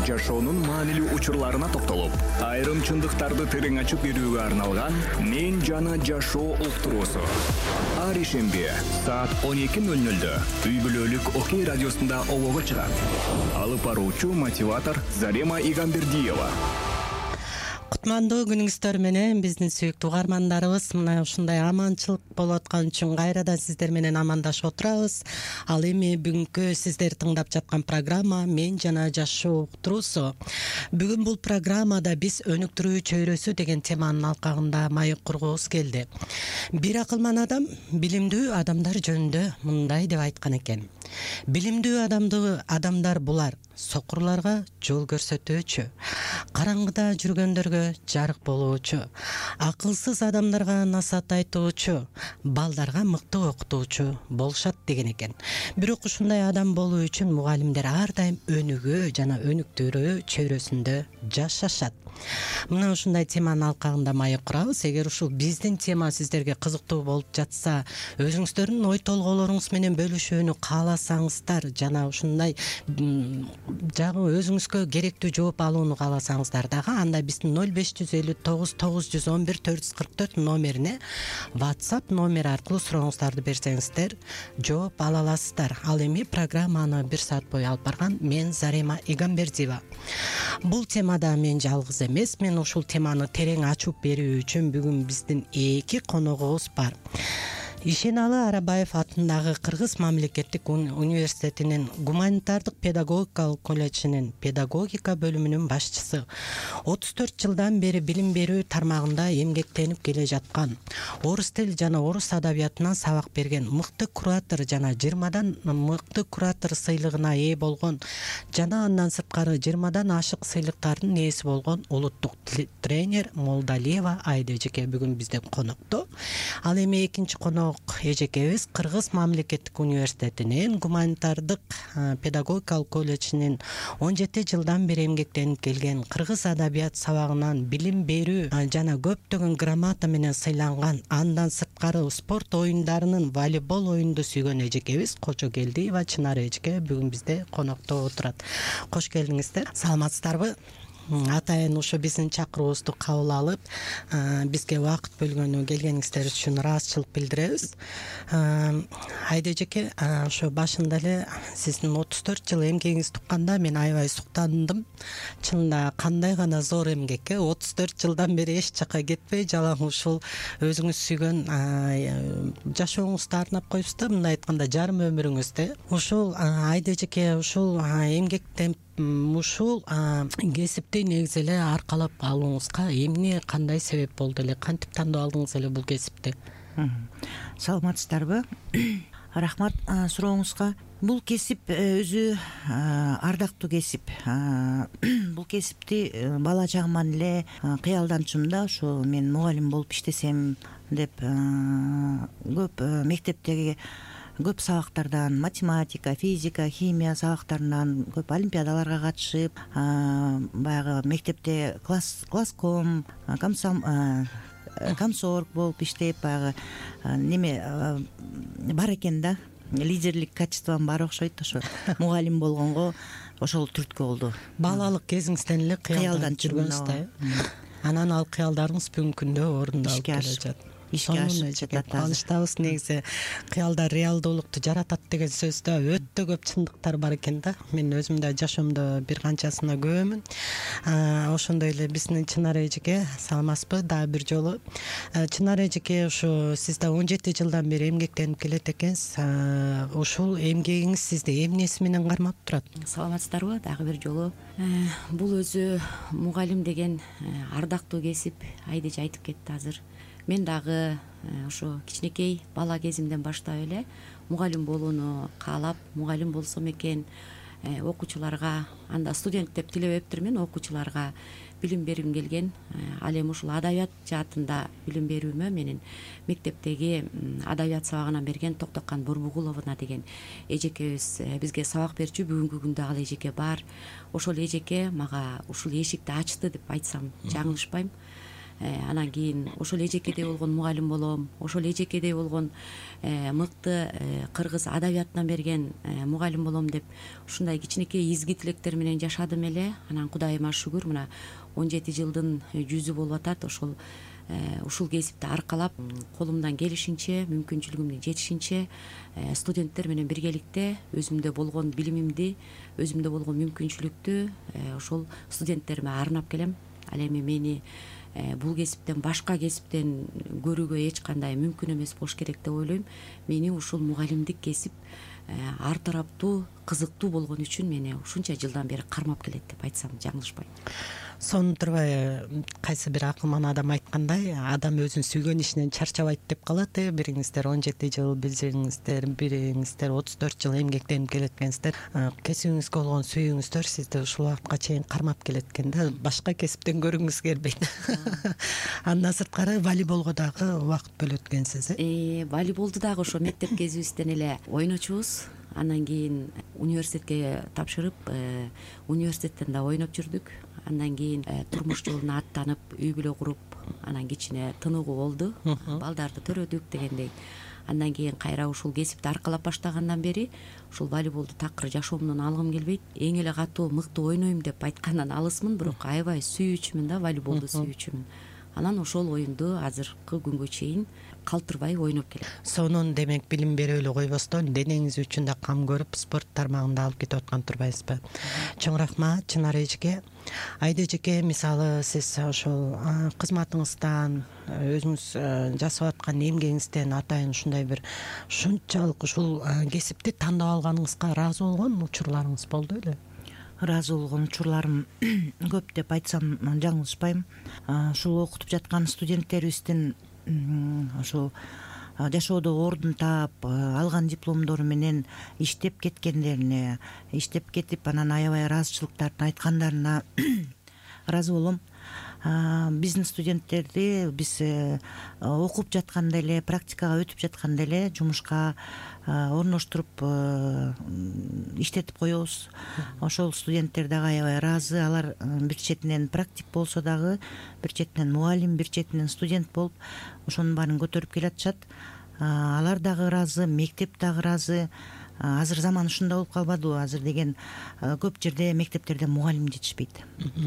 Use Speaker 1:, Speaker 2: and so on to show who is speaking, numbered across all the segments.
Speaker 1: жашоонун маанилүү учурларына токтолуп, айрым чындыктарды терең ачып берүүгө арналган «Мен жана жашоо» уктуруусу. Ар ишемби саат 12:00 үй бүлөлүк Окей радиосунда обого чыгат. Алып баруучу мотиватор Зарема Игамбердиева.
Speaker 2: Кутмандуу күнүңүздөр менен биздин сүйүктүү угармандарыбыз, мына ушундай аманчылык болуп аткан үчүн кайрадан сиздер менен амандашып отурабыз. Ал эми бүгүнкү сиздер тыңдап жаткан программа «Мен жана жашоо» уктуруусу. Бүгүн бул программада биз өнүктүрүү чөйрөсү деген теманын алкагында маек кургубуз келди. Бир акылман адам билимдүү адамдар жөнүндө мындай деп айткан экен: билимдүү адамдар булар сокурларга жол көрсөтүүчү, караңгыда жүргөндөргө жарык болуучу, акылсыз адамдарга насаат айтуучу, балдарга мыкты окутуучу болушат деген экен. Бирок ушундай адам болуу үчүн мугалимдер ар дайым өнүгүү жана өнүктүрүү чөйрөсүндө жашашат. Мына ушундай теманын алкагында маек курабыз. Эгер ушул биздин тема сиздерге кызыктуу болуп жатса, өзүңүздөрдүн ой толгоолоруңуз менен бөлүшүүнү кааласаңыздар жана ушундай жагы өзүңүзгө керектүү жооп алууну кааласаңыздар дагы, анда биздин 0559 911 444 номерине WhatsApp номери аркылуу сурооңуздарды берсеңиздер жооп ала аласыздар. Ал эми программаны 1 саат бою алып барган мен Зарема Игамбердиева. Бул темада мен жалгыз эмес, мен ушул теманы терең ачып берүү үчүн бүгүн биздин 2 коногубуз бар. Ишеналы Арабаев атындагы Кыргыз мамлекеттик университетинин гуманитардык педагогикалык колледжинин педагогика бөлүмүнүн башчысы, 34 жылдан бери билим берүү тармагында эмгектенип келе жаткан, орус тил жана орус адабиятынан сабак берген мыкты куратор жана 20дан мыкты куратор сыйлыгына ээ болгон жана андан сырткары 20дан ашык сыйлыктардын ээси болгон улуттук тренер Молдалиева Айда эжеке бүгүн бизден конокто. Ал эми экинчи конок эжекебиз Кыргыз мамлекеттик университетинин гуманитардык педагогикалык колледжинин 17 жылдан бери эмгектенип келген, кыргыз адабият сабагынан билим берүү жана көптөгөн грамота менен сыйланган, андан сырткары спорт оюндарынын волейбол оюнду сүйгөн эжекебиз Кожогелдиева Чынар эжеке бүгүн бизде конокто отурат. Кош келдиңиздер. Саламатсыздарбы? Атайын ушу биздин чакыруубузду кабыл алып, бизге убакыт бөлгөнү келгениңиздер үчүн ыраазычылык билдиребиз. Айда эжеке, ошо башында эле сиздин 34 жыл эмгегиңизди укканда мен аябай суктандым. Чынында кандай гана зор эмгек, 34 жылдан бери эч жака кетпей, жалаң ушул өзүңүз сүйгөн жашооңузду арнап коюпсуз да, мындай айтканда жарым өмүрүңүздү. Ушул Айда эжеке, ушул эмгектен ушул кесипти негизи эле аркалап алууңузга эмне, кандай себеп болду эле, кантип тандап алдыңыз эле бул кесипти?
Speaker 3: Саламатсыздарбы? Рахмат сурооңузга. Бул кесип өзү ардактуу кесип. Бул кесипти бала чагыман эле кыялданчумун да, ушу мен мугалим болуп иштесем деп көп мектептеги көп сабактардан, математика, физика, химия сабактарынан көп олимпиадаларга катышып, баягы мектепте класском, комсорг болуп иштеп, баягы неме бар экен да, лидерлик качеством бар окшойт. Ошо мугалим болгонго ошол түрткү болду.
Speaker 2: Балалык кезиңизден эле кыялданып жүргөнсүз да. Анан ал кыялдарыңыз бүгүнкү күндө орундалып келе жатат.
Speaker 3: Ишке ашып жатат.
Speaker 2: Кубанычтабыз, негизи кыялдар реалдуулукту жаратат деген сөздө өтө көп чындыктар бар экен да. Мен өзүм да жашоомдо бир канчасына күбөмүн. Ошондой эле биздин Чынар эжеке, саламатсызбы дагы бир жолу. Чынар эжеке, ушу сиз да 17 жылдан бери эмгектенип келет экенсиз. Ушул эмгегиңиз сизди эмнеси менен кармап турат?
Speaker 4: Саламатсыздарбы дагы бир жолу. Бул өзү мугалим деген ардактуу кесип, Айда эже айтып кетти азыр. Мен дагы ошо кичинекей бала кезимден баштап эле мугалим болууну каалап, мугалим болсом экен, окуучуларга, анда студент деп тилебептирмин, окуучуларга билим бергим келген. Ал эми ушул адабият жаатында билим берүүмө менин мектептеги адабият сабагынан берген Токтокан Борбугуловна деген эжекебиз бизге сабак берчү. Бүгүнкү күндө ал эжеке бар. Ошол эжеке мага ушул эшикти ачты деп айтсам жаңылышпайм. анан кийин ошол эжекедей болгон мугалим болом, ошол эжекедей болгон мыкты кыргыз адабиятынан берген мугалим болом деп ушундай кичинекей изги тилектер менен жашадым эле. Анан Кудайыма шүгүр, мына 17 жылдын жүзү болуп атат. Ушул кесипти аркалап, колумдан келишинче, мүмкүнчүлүгүмдүн жетишинче студенттер менен биргеликте өзүмдө болгон билимимди, өзүмдө болгон мүмкүнчүлүктү ошол студенттериме арнап келем. Ал эми мени бул кесиптен башка кесиптен көрүүгө эч кандай мүмкүн эмес болуш керек деп ойлойм. Мени ушул мугалимдик кесип ар тараптуу, кызыктуу болгон үчүн мени ушунча жылдан бери кармап келет деп айтсам жаңылышпайм.
Speaker 2: Сонун турбай, кайсы бир акылман адам айткандай, адам өзүнүн сүйгөн ишинен чарчабайт деп калат. Бириңиздер 17 жыл, бириңиздер 34 жыл эмгектенип келеткенсиздер. Кесибиңизге болгон сүйүүңүздөр сизди ушул убакытка чейин кармап келеткен да, башка кесиптен көргүңүз келбейт. Андан сырткары волейболго дагы убакыт бөлөткенсиз.
Speaker 4: Волейболду дагы ошо мектеп кезибизден эле ойночубуз. Андан кийин университетке тапшырып, университеттен да ойноп жүрдүк. Андан кийин турмуш жолуна аттанып, үй бүлө куруп, анан кичине тыныгуу болду. Балдарды төрөдүк дегендей. Андан кийин кайра ушул кесипти аркалап баштагандан бери ушул волейболду такыр жашоомдон алгым келбейт. Эң эле катуу мыкты ойнойм деп айткандан алысмын, бирок аябай сүйүүчүмүн да, волейболду сүйүүчүмүн. Анан ошол оюнду азыркы күнгө чейин калтырбай ойноп келем.
Speaker 2: Сонун, демек билим берип эле койбостон денеңиз үчүн да кам көрүп спорт тармагында алып кетип аткан турбайсызбы? Чоң рахмат Чынар эжеке. Айда эжеке, мисалы сиз ошол кызматыңыздан, өзүңүз жасап аткан эмгегиңизден атайын ушундай бир ушунчалык ушул кесипти тандап алганыңызга ыраазы болгон учурларыңыз болду беле?
Speaker 3: ыраазы болгон учурларым көп деп айтсам жаңылышпайм. Ушул окутуп жаткан студенттерибиздин ошол жашоодо ордун таап, алган дипломдору менен иштеп кеткендерине, иштеп кетип анан аябай ыраазычылыктарын айткандарына ыраазы болом. Биздин студенттерди биз окуп жатканда эле, практикага өтүп жатканда эле жумушка орноштуруп иштетип коебуз. Ошол студенттер дагы аябай ыраазы. Алар бир четинен практик болсо дагы, бир четинен мугалим, бир четинен студент болуп ошонун баарын көтөрүп келатышат. Алар дагы ыраазы, мектеп дагы ыраазы. Азыр заман ушундай болуп калбадыбы? Азыр деген көп жерде мектептерде мугалим жетишпейт.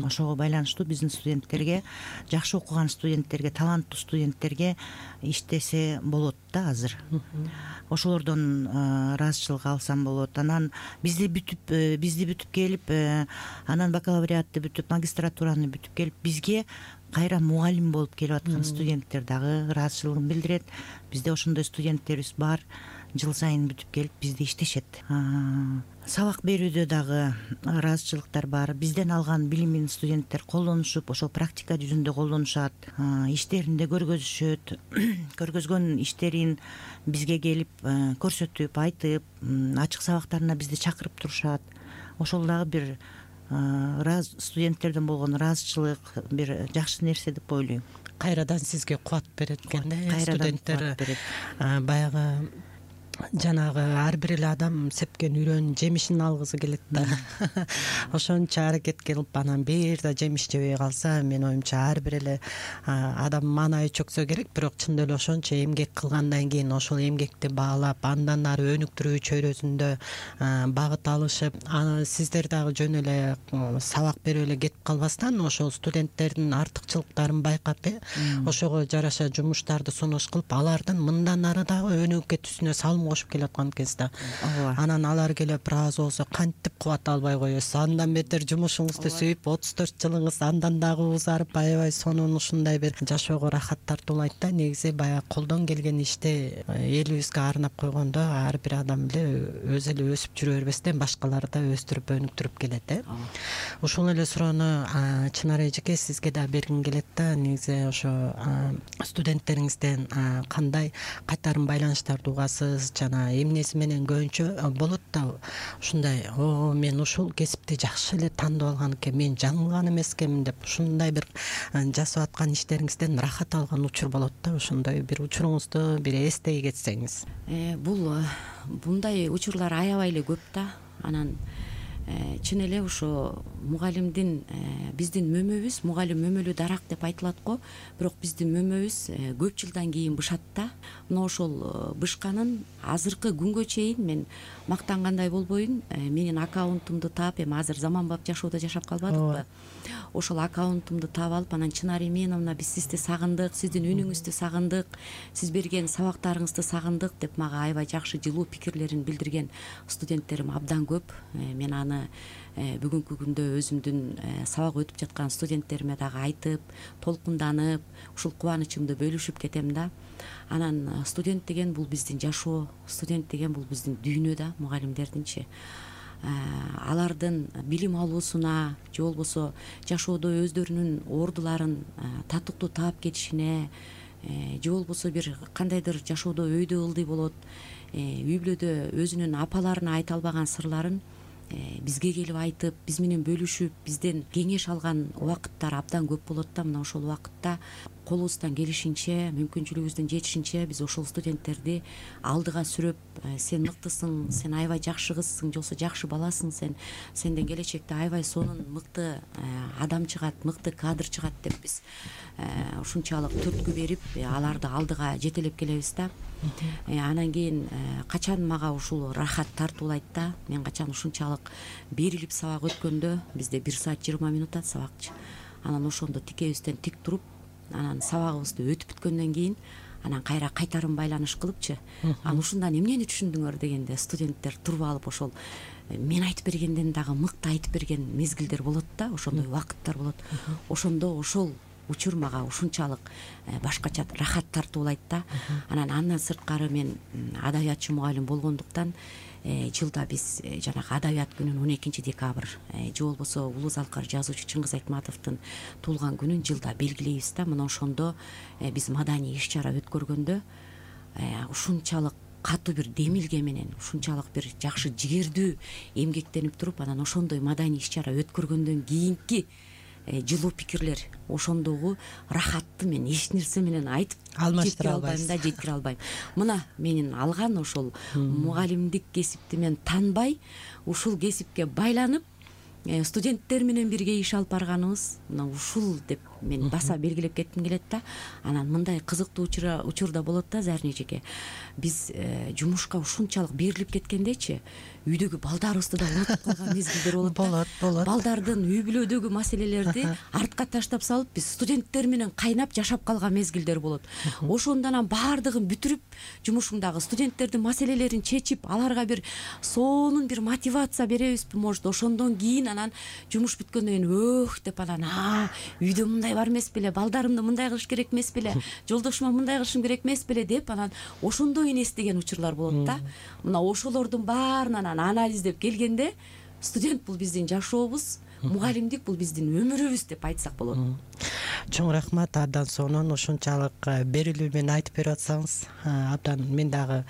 Speaker 3: Ошого байланыштуу биздин студенттерге, жакшы окуган студенттерге, таланттуу студенттерге иштесе болот да азыр. Ошолордон ыраазычылык алсам болот. Анан бизди бүтүп келип, анан бакалавриатты бүтүп, магистратураны бүтүп келип, бизге кайра мугалим болуп келип аткан студенттер дагы ыраазычылыгын билдирет. Бизде ошондой студенттерибиз бар. Жыл сайын бүтүп келип бизде иштешет. Сабак берүүдө дагы ыраазычылыктар бар. Бизден алган билимин студенттер колдонушуп, ошол практика жүзүндө колдонушат, иштеринде көргөзүшөт. Көргөзгөн иштерин бизге келип көрсөтүп, айтып, ачык сабактарына бизди чакырып турушат. Ошол дагы бир студенттерден болгон ыраазычылык бир жакшы нерсе деп ойлойм.
Speaker 2: Кайрадан сизге кубат берет экен да, студенттер баягы жанагы ар бир эле адам сепкен үрөнүн жемишин алгысы келет да. Ошончо аракет кылып анан бир да жемиш жебей калса, менин оюмча ар бир эле адам маанайы чөксө керек, бирок чындап эле ошончо эмгек кылгандан кийин ошол эмгекти баалап, андан ары өнүктүрүү чөйрөсүндө багыт алышып, сиздер дагы жөн эле сабак берип эле кетип калбастан ошол студенттердин артыкчылыктарын байкап, ошого жараша жумуштарды сунуш кылып, алардын мындан ары дагы өнүгүп кетүүсүнө салым кошуп келаткан экенсиз да. Анан алар келип ыраазы болсо кантип кубат албай коесуз. Андан бетер жумушуңузду сүйүп 34 жылыңыз андан дагы узарып, аябай сонун ушундай бир жашоого рахат тартуулайт да. Негизи баягы колдон келген ишти элибизге арнап койгондо ар бир адам эле өзү эле өсүп жүрө бербестен башкаларды да өстүрүп өнүктүрүп келет. Ушул эле суроону Чынар эжеке сизге да бергим келет да. Негизи ошо студенттериңизден кандай кайтарым байланыштарды угасыз, жана эмнеси менен көбүнчө болот да ушундай, мен ушул кесипти жакшы эле тандап алган экен, мен жаңылган эмес экенмин деп ушундай бир жасап аткан иштериңизден рахат алган учур болот да. Ошондой бир учуруңузду бир эстей кетсеңиз.
Speaker 4: Бундай учурлар аябай эле көп да. Анан чын эле ошо мугалимдин биздин мөмөбүз, мугалим мөмөлүү дарак деп айтылат го, бирок биздин мөмөбүз көп жылдан кийин бышат да. Мына ошол бышканын азыркы күнгө чейин мен мактангандай болбойюн, менин аккаунтумду таап, эми азыр заманбап жашоодо жашап калбадыкпы, ошол аккаунтумду таап алып, анан Чынар Именовна, биз сизди сагындык, сиздин үнүңүздү сагындык, сиз берген сабактарыңызды сагындык деп мага аябай жакшы жылуу пикирлерин билдирген студенттерим абдан көп. Мен аны бүгүнкү күндө өзүмдүн сабак өтүп жаткан студенттериме дагы айтып, толкунданып, ушул кубанычымды бөлүшүп кетем да. Анан студент деген бул биздин жашоо, студент деген бул биздин дүйнө да, мугалимдердинчи. Алардын билим алуусуна же болбосо жашоодо өздөрүнүн ордуларын татыктуу таап кетишине, же болбосо бир кандайдыр жашоодо өйдө ылдый болот, үй бүлөдө өзүнүн апаларына айта албаган сырларын бизге келип айтып, биз менен бөлүшүп, бизден кеңеш алган убакыттар абдан көп болот да. Мына ошол убакытта колубуздан келишинче, мүмкүнчүлүгүбүздүн жетишинче биз ошол студенттерди алдыга сүрөп, сен мыктысың, сен аябай жакшы кызсың, же болбосо жакшы баласың, сенден келечекте аябай сонун мыкты адам чыгат, мыкты кадр чыгат деп биз ушунчалык түрткү берип, аларды алдыга жетелеп келебиз да. Анан кийин качан мага ушул рахат тартуулайт да, мен качан ушунчалык берилип сабак өткөндө, бизде 1 саат 20 минут сабакчы. Анан ошондо тикебизден тик туруп, анан сабагыбызды өтүп бүткөндөн кийин анан кайра кайтарым байланыш кылыпчы, анан ушундан эмнени түшүндүңөр дегенде студенттер туруп алып ошол мен айтып бергенден дагы мыкты айтып берген мезгилдер болот да, ошондой убакыттар болот. Ошондо ошол учур мага ушунчалык башкача рахат тартуулайт да. Андан сырткары мен адабиятчы мугалим болгондуктан жылда биз жанагы адабият күнүн 12 декабрь же болбосо улуу залкар жазуучу Чыңгыз Айтматовдун туулган күнүн жылда белгилейбиз да. Мына ошондо биз маданий иш-чара өткөргөндө ушунчалык катуу бир демилге менен, ушунчалык бир жакшы жигердүү эмгектенип туруп, анан ошондой маданий иш-чара өткөргөндөн кийинки жылуу пикирлер, ошондогу рахатты мен эч нерсе менен айтып жеткире албайм да, жеткире албайм. Мына менин алган ошол мугалимдик кесипти мен танбай, ушул кесипке байланып, студенттер менен бирге иш алып барганыбыз мына ушул деп мен баса белгилеп кетким келет да. Анан мындай кызыктуу учурда болот да, Зарин эжеке. Биз жумушка ушунчалык берилип кеткендечи, үйдөгү балдарыбызды да унутуп калган мезгилдер болот. Балдардын үй бүлөдөгү маселелерди артка таштап салып, биз студенттер менен кайнап жашап калган мезгилдер болот. Ошондон анан баардыгын бүтүрүп, жумушуңдагы студенттердин маселелерин чечип, аларга бир сонун бир мотивация беребизби, может, ошондон кийин анан жумуш бүткөндөн кийин деп анан үйдө мындай бар эмес беле, балдарымды мындай кылыш керек эмес беле, жолдошума мындай кылышым керек эмес беле деп анан ошондой эстеген учурлар болот да. Мына ошолордун баарын анан анализдеп келгенде, студент бул биздин жашообуз, мугалимдик бул биздин өмүрүбүз деп айтсак болот.
Speaker 2: Чоң рахмат, абдан сонун ушунчалык берилүү менен айтып берип атсаңыз, абдан мен дагы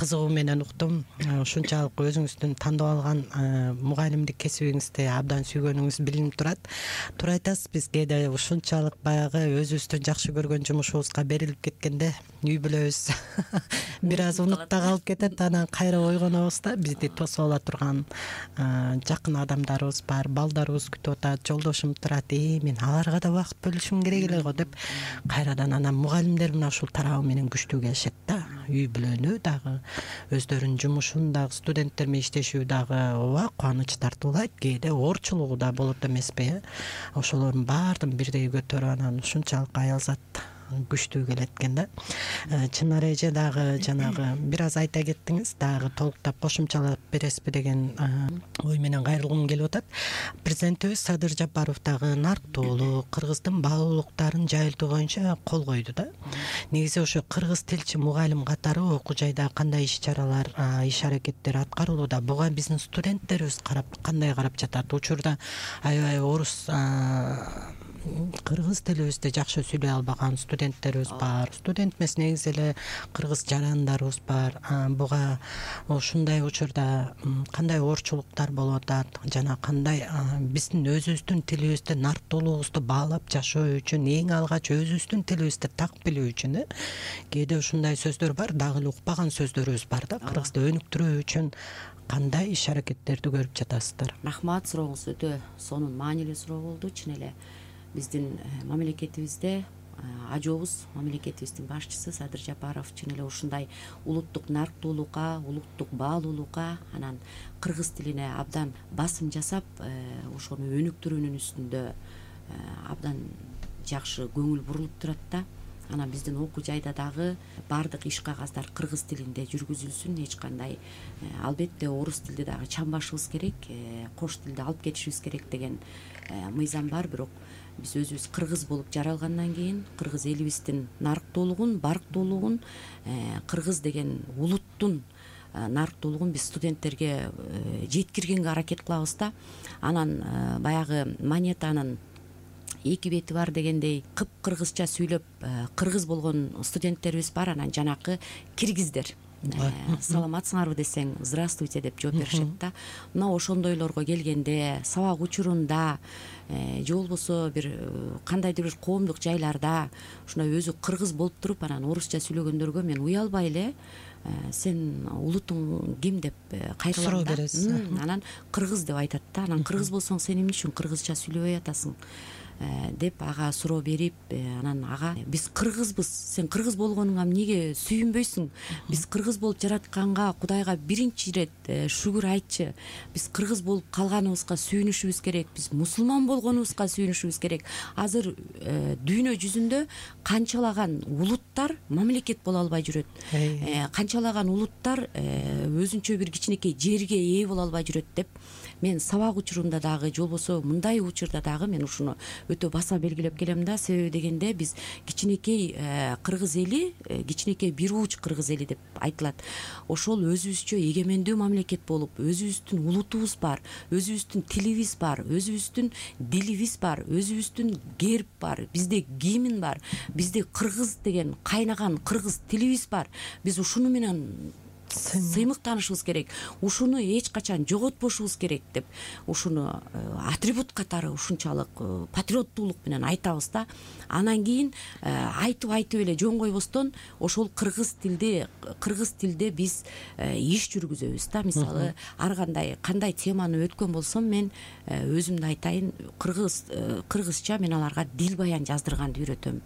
Speaker 2: кызыгуу менен уктум. Ушунчалык өзүңүздүн тандап алган мугалимдик кесибиңизди абдан сүйгөнүңүз билинип турат. Туура айтасыз, биз кээде ушунчалык баягы өзүбүздүн жакшы көргөн жумушубузга берилип кеткенде үй бүлөбүз бир аз унутта калып кетет, анан кайра ойгонобуз да, бизди тосуп ала турган жакын адамдарыбыз бар, балдарыбыз күтүп атат, жолдошум турат, мен аларга да убакыт бөлүшүм керек эле го деп кайрадан анан мугалимдер мына ушул тарабы менен күчтүү келишет да. Үй бүлөнү дагы, өздөрүнүн жумушун дагы, студенттер менен иштешүү дагы ооба кубаныч тартуулайт, кээде оорчулугу да болот эмеспи. Ошолордун баардыгын бирдей көтөрүп анан ушунчалык аял зат күчтүү келет экен да. Чынар эже дагы жанагы бир аз айта кеттиңиз, дагы толуктап кошумчалап бересизби деген ой менен кайрылгым келип атат. Президентибиз Садыр Жапаров дагы нарктуулук, кыргыздын баалуулуктарын жайылтуу боюнча кол койду да. Негизи ошо кыргыз тилчи мугалим катары окуу жайда кандай иш-чаралар, иш-аракеттер аткарылууда, буга биздин студенттерибиз кандай карап жатат? Учурда аябай орус кыргыз тилибизди жакшы сүйлөй албаган студенттерибиз бар. Студент эмес, негизи эле кыргыз жарандарыбыз бар. Буга ушундай учурда кандай оорчулуктар болуп атат жана кандай биздин өзүбүздүн тилибизди, нарктуулугубузду баалап жашоо үчүн, эң алгач өзүбүздүн тилибизди так билүү үчүн кээде ушундай сөздөр бар, дагы эле укпаган сөздөрүбүз бар да. Кыргызды өнүктүрүү үчүн кандай иш аракеттерди көрүп жатасыздар?
Speaker 4: Рахмат, сурооңуз өтө сонун маанилүү суроо болду. Чын эле биздин мамлекетибизде ажообуз, мамлекетибиздин башчысы Садыр Жапаров чын эле ушундай улуттук нарктуулукка, улуттук баалуулукка, анан кыргыз тилине абдан басым жасап, ошону өнүктүрүүнүн үстүндө абдан жакшы көңүл бурулуп турат да. Анан биздин окуу жайда дагы баардык иш кагаздар кыргыз тилинде жүргүзүлсүн. Эч кандай албетте орус тилди дагы чамбашыбыз керек, кош тилди алып кетишибиз керек деген мыйзам бар. Бирок биз өзүбүз кыргыз болуп жаралгандан кийин кыргыз элибиздин нарктуулугун, барктуулугун, кыргыз деген улуттун нарктуулугун биз студенттерге жеткиргенге аракет кылабыз да. Анан баягы монетанын эки бети бар дегендей кыргызча сүйлөп кыргыз болгон студенттерибиз бар. Анан жанакы киргиздер саламатсыңарбы десең здравствуйте деп жооп беришет да. Мына ошондойлорго келгенде, сабак учурунда же болбосо бир кандайдыр бир коомдук жайларда ушундай өзү кыргыз болуп туруп анан орусча сүйлөгөндөргө мен уялбай эле сен улутуң ким деп кайрылам
Speaker 2: суроо бересиз.
Speaker 4: Анан кыргыз деп айтат да. Анан кыргыз болсоң сен эмне үчүн кыргызча сүйлөбөй атасың деп ага суроо берип, анан ага биз кыргызбыз, сен кыргыз болгонуңа эмнеге сүйүнбөйсүң, биз кыргыз болуп жаратканга Кудайга биринчи ирет шүгүр айтчы, биз кыргыз болуп калганыбызга сүйүнүшүбүз керек, биз мусулман болгонубузга сүйүнүшүбүз керек. Азыр дүйнө жүзүндө канчалаган улуттар мамлекет боло албай жүрөт, канчалаган улуттар өзүнчө бир кичинекей жерге ээ боло албай жүрөт деп мен сабак учурунда дагы же болбосо мындай учурда дагы мен ушуну өтө баса белгилеп келем да. Себеби дегенде биз кичинекей кыргыз эли, кичинекей бир ууч кыргыз эли деп айтылат. Ошол өзүбүзчө эгемендүү мамлекет болуп, өзүбүздүн улутубуз бар, өзүбүздүн тилибиз бар, өзүбүздүн дилибиз бар, өзүбүздүн герб бар, бизде гимн бар, бизде кыргыз деген кайнаган кыргыз тилибиз бар. Биз ушуну менен сыймыктанышыбыз керек, ушуну эч качан жоготпошубуз керек деп ушуну атрибут катары ушунчалык патриоттуулук менен айтабыз да. Анан кийин айтып эле жөн койбостон ошол кыргыз тилде биз иш жүргүзөбүз да. Мисалы ар кандай теманы өткөн болсом мен өзүмдү айтайын, кыргызча мен аларга дил баян жаздырганды үйрөтөм.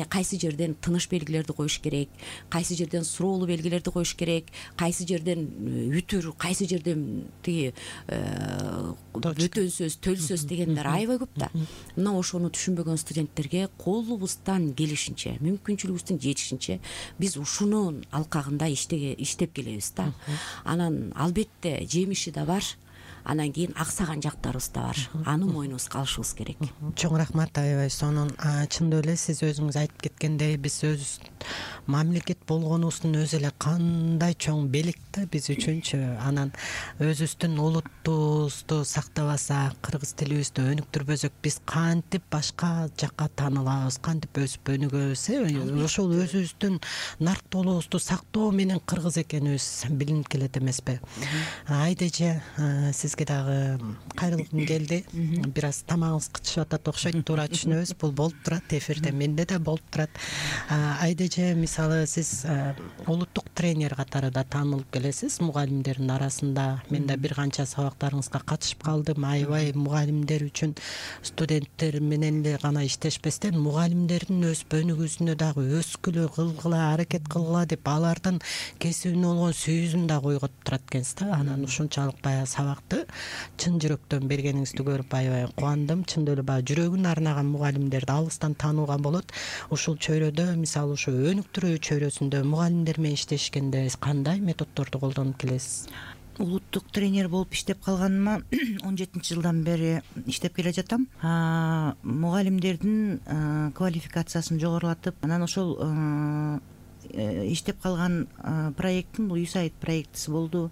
Speaker 4: Кайсы жерден тыныч белгилерди коюш керек, кайсы жерден суроолуу белгилерди коюш керек, кайсы жерден үтүр, кайсы жерден тиги бөтөн сөз, төл сөз дегендер аябай көп да. Мына ошону түшүнбөгөн студенттерге колубуздан келишинче, мүмкүнчүлүгүбүздүн жетишинче биз ушунун алкагында иштеп келебиз да. Анан албетте жемиши да бар. Анан кийин аксаган жактарыбыз да бар. Аны мойнубузга алышыбыз керек.
Speaker 2: Чоң рахмат, аябай сонун. Чындап эле сиз өзүңүз айтып кеткендей, биз өз мамлекет болгонубуздун өзү эле кандай чоң белек да биз үчүнчү. Анан өзүбүздүн улуттубузду сактабасак, кыргыз тилибизди өнүктүрбөсөк, биз кантип башка жакка таанылабыз, кантип өсүп өнүгөбүз? Ошол өзүбүздүн нарктуулугубузду сактоо менен кыргыз экенибиз билинип келет эмеспи? Айдеже, сизге дагы кайрылгым келди. Бир аз тамагыңыз кычышып атат окшойт, туура түшүнөбүз. Бул болуп турат эфирде, менде да болуп турат. Айдеже, мисалы сиз улуттук тренер катары да таанылып келесиз мугалимдердин арасында. Мен да бир канча сабактарыңызга катышып калдым. Аябай мугалимдер үчүн студенттер менен эле гана иштешпестен мугалимдердин өсүп өнүгүүсүнө дагы өскүлө, кылгыла, аракет кылгыла деп алардын кесибине болгон сүйүүсүн да койготуп турат экенсиз да. Анан ушунчалык баягы сабакты чын жүрөктөн бергениңизди көрүп аябай кубандым. Чындап эле баягы жүрөгүн арнаган мугалимдерди алыстан таанууга болот. Ушул чөйрөдө, мисалы ушу өнүктүрүү чөйрөсүндө мугалимдер менен иштешкенде кандай методдорду колдонуп келесиз?
Speaker 3: Улуттук тренер болуп иштеп калганыма 17 жылдан бери иштеп келе жатам. Мугалимдердин квалификациясын жогорулатып, анан ошол иштеп калган проекттин бул USAID проектиси болду.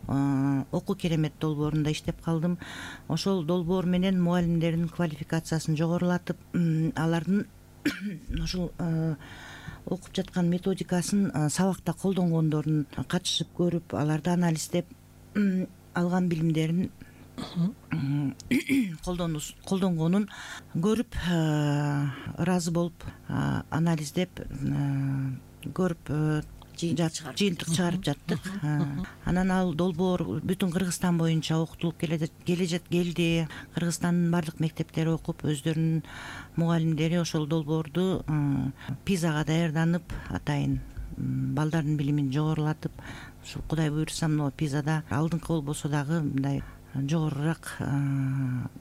Speaker 3: Окуу керемет долбоорунда иштеп калдым. Ошол долбоор менен мугалимдердин квалификациясын жогорулатып, алардын ошол окуп жаткан методикасын сабакта колдонгондорун катышып көрүп, аларды анализдеп, алган билимдерин колдонгонун көрүп, ыраазы болуп, анализдеп көрүп, жыйынтык чыгарып жаттык. Анан ал долбоор бүтүн Кыргызстан боюнча окутулуп келди. Кыргызстандын бардык мектептери окуп, өздөрүнүн мугалимдери ошол долбоорду пизага даярданып, атайын балдардын билимин жогорулатып, ушу Кудай буйрса мына пизада алдыңкы болбосо дагы мындай жогорураак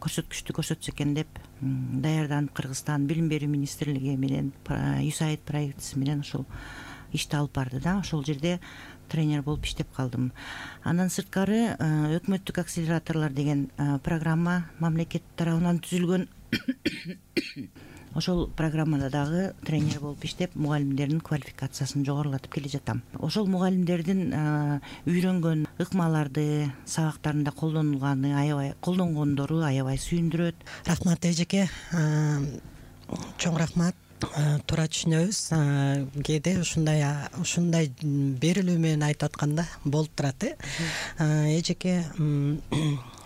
Speaker 3: көрсөткүчтү көрсөтсө экен деп даярданып, Кыргызстан Билим берүү министрлиги менен USAID правительствосу менен ошол ишти алып барды да. Ошол жерде тренер болуп иштеп калдым. Андан сырткары өкмөттүк акселераторлор деген программа мамлекет тарабынан түзүлгөн. Ошол программада дагы тренер болуп иштеп, мугалимдердин квалификациясын жогорулатып келе жатам. Ошол мугалимдердин үйрөнгөн ыкмаларды, сабактарында колдонгондору аябай сүйүндүрөт.
Speaker 2: Рахмат эжеке, чоң рахмат. Туура түшүнөбүз. Кээде ушундай берилүү менен айтып атканда болуп турат. Эжеке,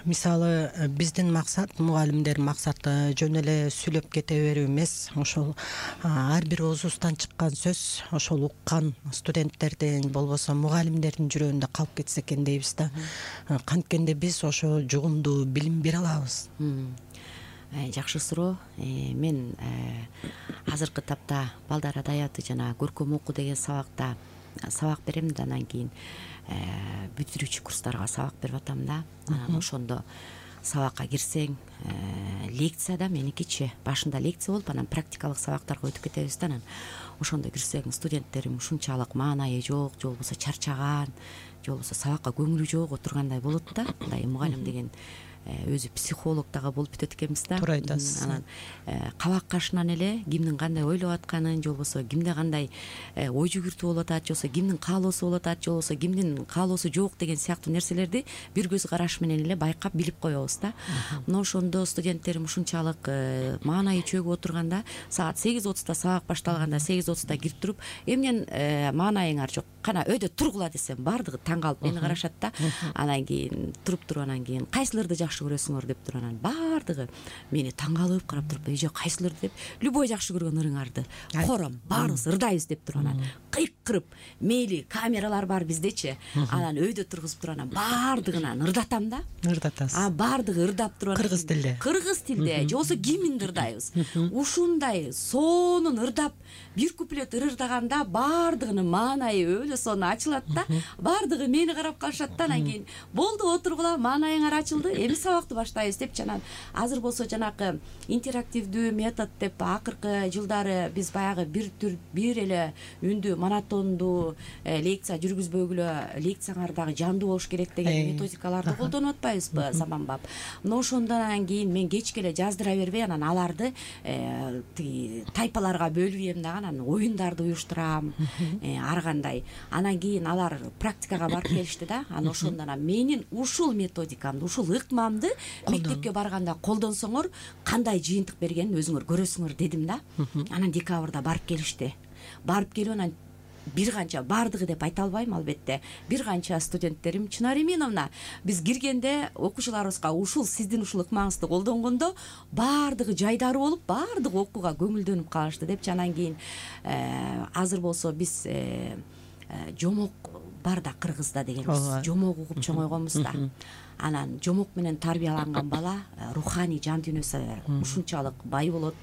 Speaker 2: мисалы биздин максат, мугалимдердин максаты жөн эле сүйлөп кете берүү эмес. Ошол ар бир оозубуздан чыккан сөз ошол уккан студенттердин, болбосо мугалимдердин жүрөгүндө калып кетсе экен дейбиз да. Канткенде биз ошо жугумдуу билим бере алабыз.
Speaker 4: Жакшы суроо. Мен азыркы тапта балдар адабияты жана көркөм окуу деген сабак берем да, анан кийин бүтүрүүчү курстарга сабак берип атам да. Анан ошондо сабакка кирсең, лекцияда меникичи башында лекция болуп, анан практикалык сабактарга өтүп кетебиз да. Анан ошондо кирсең, студенттерим ушунчалык маанайы жок, же болбосо чарчаган, же болбосо сабакка көңүлү жок отургандай болот да. Мындай мугалим деген өзү психолог дагы болуп бүтөт экенбиз да.
Speaker 2: Туура айтасыз.
Speaker 4: Анан кабак кашынан эле кимдин кандай ойлоп атканын, же болбосо кимде кандай ой жүгүртүү болуп атат, же болбосо кимдин каалоосу болуп атат, же болбосо кимдин каалоосу жок деген сыяктуу нерселерди бир көз караш менен эле байкап билип коебуз да. Мына ошондо студенттерим ушунчалык маанайы чөгүп отурганда, саат 8:30 сабак башталганда 8:30 кирип туруп, эмнен маанайыңар жок, кана өйдө тургула десем, баардыгы таң калып мени карашат да. Анан кийин туруп анан кийин кайсыларды жакшы көрөсүңөр деп туруп, анан баардыгы мени таң калып карап туруп, эже кайсыларды деп, любой жакшы көргөн ырыңарды кором, баарыбыз ырдайбыз деп туруп, анан кыйкырып, мейли камералар бар биздечи, анан өйдө тургузуп туруп, анан баардыгынан ырдатам да.
Speaker 2: Ырдатасыз.
Speaker 4: Баардыгы ырдап туруп,
Speaker 2: Кыргыз тилде,
Speaker 4: же болбосо киминди ырдайбыз. Ушундай сонун ырдап, бир куплет ырдаганда баардыгынын маанайы өлө сонун ачылат да. Баардыгы мени карап калышат да. Анан кийин болду, отургула, маанайыңар ачылды, эми сабакты баштайбыз деп. Анан азыр болсо жанакы интерактивдүү метод деп акыркы жылдары биз баягы бир эле үндүү монотондуу лекция жүргүзбөгүлө, лекцияңар дагы жандуу болуш керек деген методикаларды колдонуп атпайбызбы заманбап. Мына ошондон кийин мен кечке эле жаздыра бербей, анан аларды тиги тайпаларга бөлүп ийем дагы, анан оюндарды уюштурам, ар кандай. Анан кийин алар практикага барып келишти да. Анан ошондон менин ушул методикамды, ушул ыкмамды мектепке барганда колдонсоңор кандай жыйынтык бергенин өзүңөр көрөсүңөр дедим да. Анан декабрда барып келишти. Барып келип анан бир канча, баардыгы деп айта албайм албетте, бир канча студенттерим, Чынар Эминовна, биз киргенде окуучуларыбызга сиздин ушул ыкмаңызды колдонгондо баардыгы жайдары болуп, баардыгы окууга көңүлдөнүп калышты деп. Анан кийин азыр болсо биз жомок бар да Кыргызда дегенбиз, жомок угуп чоңойгонбуз да. Анан жомок менен тарбияланган бала руханий жан дүйнөсү ушунчалык бай болот.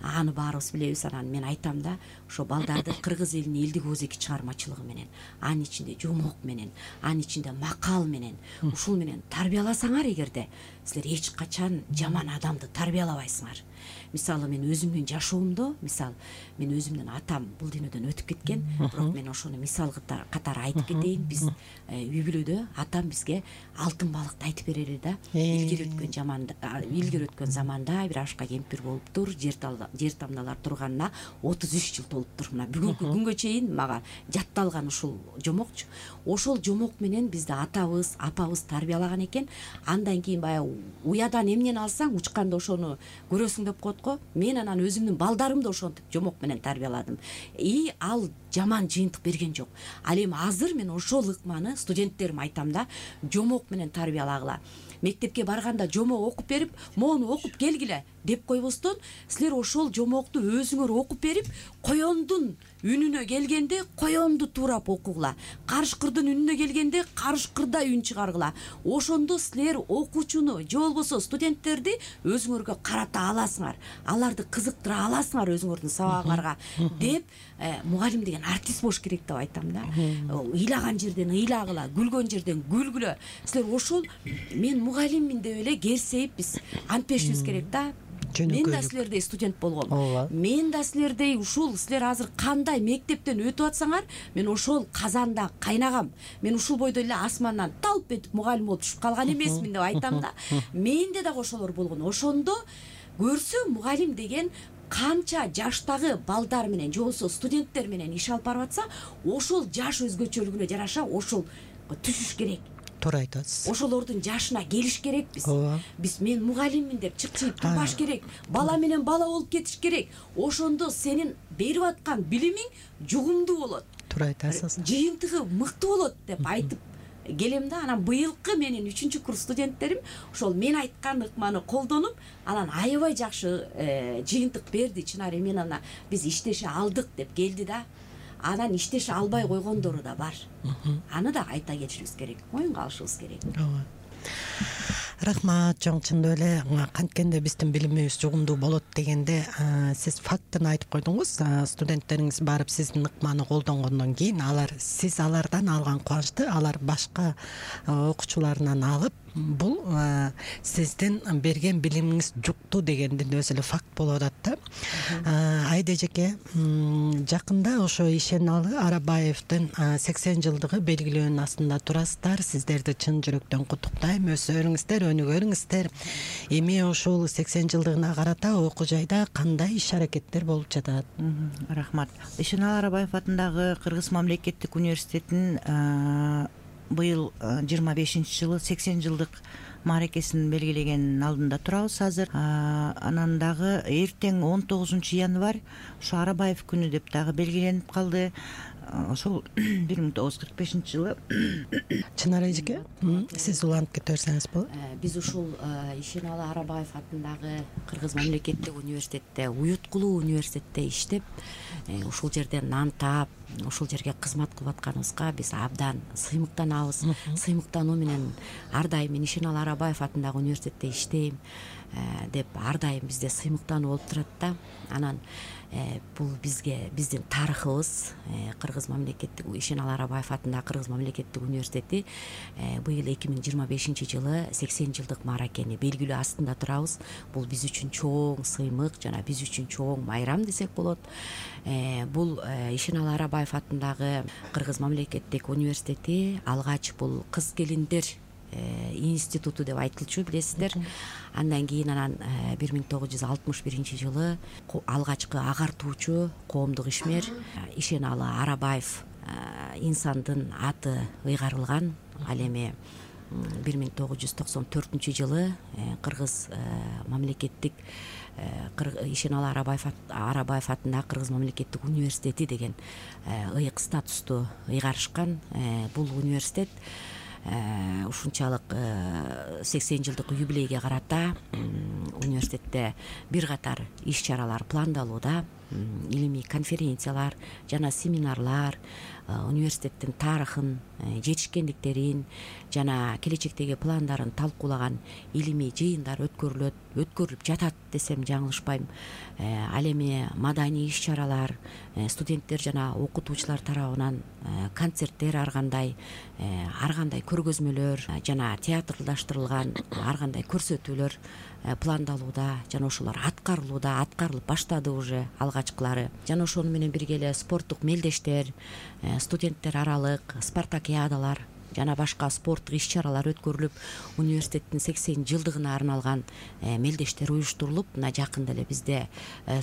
Speaker 4: Аны баарыбыз билебиз. Анан мен айтам да, ошо балдарды кыргыз элинин элдик ооз эки чыгармачылыгы менен, анын ичинде жомок менен, анын ичинде макал менен, ушул менен тарбияласаңар эгерде, силер эч качан жаман адамды тарбиялабайсыңар. Мисалы мен өзүмдүн жашоомдо, мен өзүмдүн атам бул дүйнөдөн өтүп кеткен, бирок мен ошону мисал катары айтып кетейин. Биз үй бүлөдө атам бизге алтын балыкты айтып берели да. Илгери өткөн заманда бир ашка кемпир болуптур, жер тамдалар турганына 33 жыл толуптур. Мына бүгүнкү күнгө чейин мага жатталган ушул жомокчу. Ошол жомок менен бизди атабыз, апабыз тарбиялаган экен. Андан кийин баягы уядан эмнени алсаң, учканда ошону көрөсүң деп коет го. Мен анан өзүмдүн балдарымды ошентип жомок менен тарбияладым. Ал жаман жыйынтык берген жок. Ал эми азыр мен ошол ыкманы студенттериме айтам да, жомок менен тарбиялагыла. Мектепке барганда жомок окуп берип, моуну окуп келгиле деп койбостон, силер ошол жомокту өзүңөр окуп берип, коёндун үнүнө келгенде коёнду туурап окугула. Карышкырдын үнүнө келгенде карышкырдай үн чыгаргыла. Ошондо силер окуучуну же болбосо студенттерди өзүңөргө карата аласыңар. Аларды кызыктыра аласыңар өзүңөрдүн сабагыңарга деп, мугалим деген артист болуш керек деп айтам да. Ыйлаган жерден ыйлагыла, күлгөн жерден күлгүлө. Силер ошол мен мугалиммин деп эле керсейип биз антпешибиз керек да. Мен да силердей студент болгом. Мен да силердей ушул силер азыр кандай мектептен өтүп атсаңар, мен ошол казанда кайнагам. Мен ушул бойдо эле асмандан талп этип мугалим болуп түшүп калган эмесмин деп айтам да. Менде дагы ошолор болгон. Ошондо көрсө мугалим деген канча жаштагы балдар менен же болбосо студенттер менен иш алып барып атса, ошол жаш өзгөчөлүгүнө жараша ошол түшүш керек.
Speaker 2: Туура айтасыз.
Speaker 4: Ошолордун жашына келиш керекпиз. Биз мен мугалиммин деп чыкчыйып турбаш керек. Бала менен бала болуп кетиш керек. Ошондо сенин берип аткан билимиң жугумдуу болот.
Speaker 2: Туура айтасыз.
Speaker 4: Жыйынтыгы мыкты болот деп айтып келем да. Анан быйылкы менин 3-курс студенттерим ошол мен айткан ыкманы колдонуп, анан аябай жакшы жыйынтык берди. Чынары мен ана биз иштеше алдык деп келди да. Анан иштеше албай койгондору да бар. Аны да айта кетишибиз керек, моюнга алышыбыз керек.
Speaker 2: Рахмат, чоңчундуу эле канткенде биздин билимибиз жугумдуу болот дегенде, сиз фактын айтып койдуңуз. Студенттериңиз барып сиздин ыкманы колдонгондон кийин сиз алардан алган кубанычты алар башка окуучуларынан алып, бул сиздин берген билимиңиз жукту дегендин өзү эле факт болуп атат да. Айда эжеке, жакында ошо Ишеналы Арабаевдин 80 жылдыгы белгилөөнүн астында турасыздар. Сиздерди чын жүрөктөн куттуктайм. Өсөрүңүздөр, өнүгөрүңүздөр. Эми ошол 80 жылдыгына карата окуу жайда кандай иш аракеттер болуп жатат?
Speaker 3: Рахмат. Ишеналы Арабаев атындагы Кыргыз мамлекеттик университетинин быйыл 25-жылы 80 жылдык мааракесин белгилегенин алдында турабыз азыр. Анан дагы эртең 19-январь ошо Арабаев күнү деп дагы белгиленип калды. Ошол 1945-жылы.
Speaker 2: Чынар эжеке, сиз улантып кете берсеңиз болот.
Speaker 4: Биз ушул Ишеналы Арабаев атындагы Кыргыз мамлекеттик университетте, уюткулуу университетте иштеп, ушул жерде нан таап, ушул жерге кызмат кылып атканыбызга биз абдан сыймыктанабыз. Сыймыктануу менен ар дайым мен Ишеналы Арабаев атындагы университетте иштейм деп ар дайым бизде сыймыктануу болуп турат да. Анан бул бизге биздин тарыхыбыз, Кыргыз мамлекеттик Ишеналы Арабаев атындагы Кыргыз мамлекеттик университети быйыл 2025-жылы 80 жылдык мааракени белгилөө астында турабыз. Бул биз үчүн чоң сыймык жана биз үчүн чоң майрам десек болот. Бул Ишеналы Арабаев атындагы Кыргыз мамлекеттик университети алгач бул кыз келиндер институту деп айтылчу, билесиздер. Андан кийин анан 1961-жылы алгачкы агартуучу коомдук ишмер Ишеналы Арабаев инсандын аты ыйгарылган. Ал эми 1994-жылы Кыргыз мамлекеттик Ишеналы Арабаев атындагы Кыргыз мамлекеттик университети деген ыйык статусту ыйгарышкан. Бул университет ушунчалык 80 жылдык юбилейге карата университетте бир катар иш-чаралар пландалууда. Илимий конференциялар жана семинарлар, университеттин тарыхын, жетишкендиктерин жана келечектеги пландарын талкуулаган илимий жыйындар өткөрүлүп жатат десем жаңылышпайм. Ал эми маданий иш-чаралар, студенттер жана окутуучулар тарабынан концерттер ар кандай көргөзмөлөр жана театрдаштырылган ар кандай көрсөтүүлөр пландалууда жана ошолор аткарылып баштады уже алгачкылары. Жана ошону менен бирге эле спорттук мелдештер, студенттер аралык спартакиадалар жана башка спорттук иш-чаралар өткөрүлүп, университеттин 80 жылдыгына арналган мелдештер уюштурулуп, мына жакында эле бизде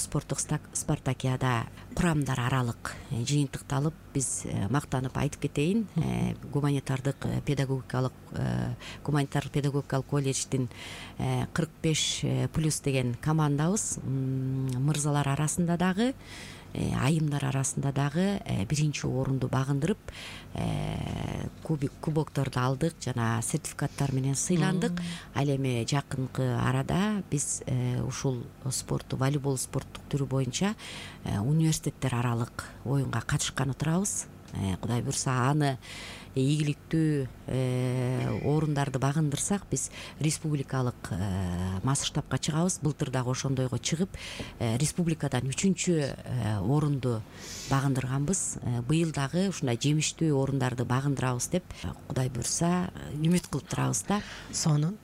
Speaker 4: спорттук спартакиада курамдар аралык жыйынтыкталып, биз мактанып айтып кетейин, гуманитардык педагогикалык колледждин 45+ деген командабыз мырзалар арасында дагы айымдар арасында дагы биринчи орунду багындырып кубокторду алдык жана сертификаттар менен сыйландык. Ал эми жакынкы арада биз ушул спортту, волейбол спорттук түрү боюнча университеттер аралык оюнга катышканы турабыз. Кудай буюрса аны ийгиликтүү орундарды багындырсак биз республикалык масштабка чыгабыз. Былтыр дагы ошондойго чыгып республикадан 3-чү орунду багындырганбыз. Быйыл дагы ушундай жемиштүү орундарды багындырабыз деп Кудай буюрса үмүт кылып турабыз да.
Speaker 2: Сонун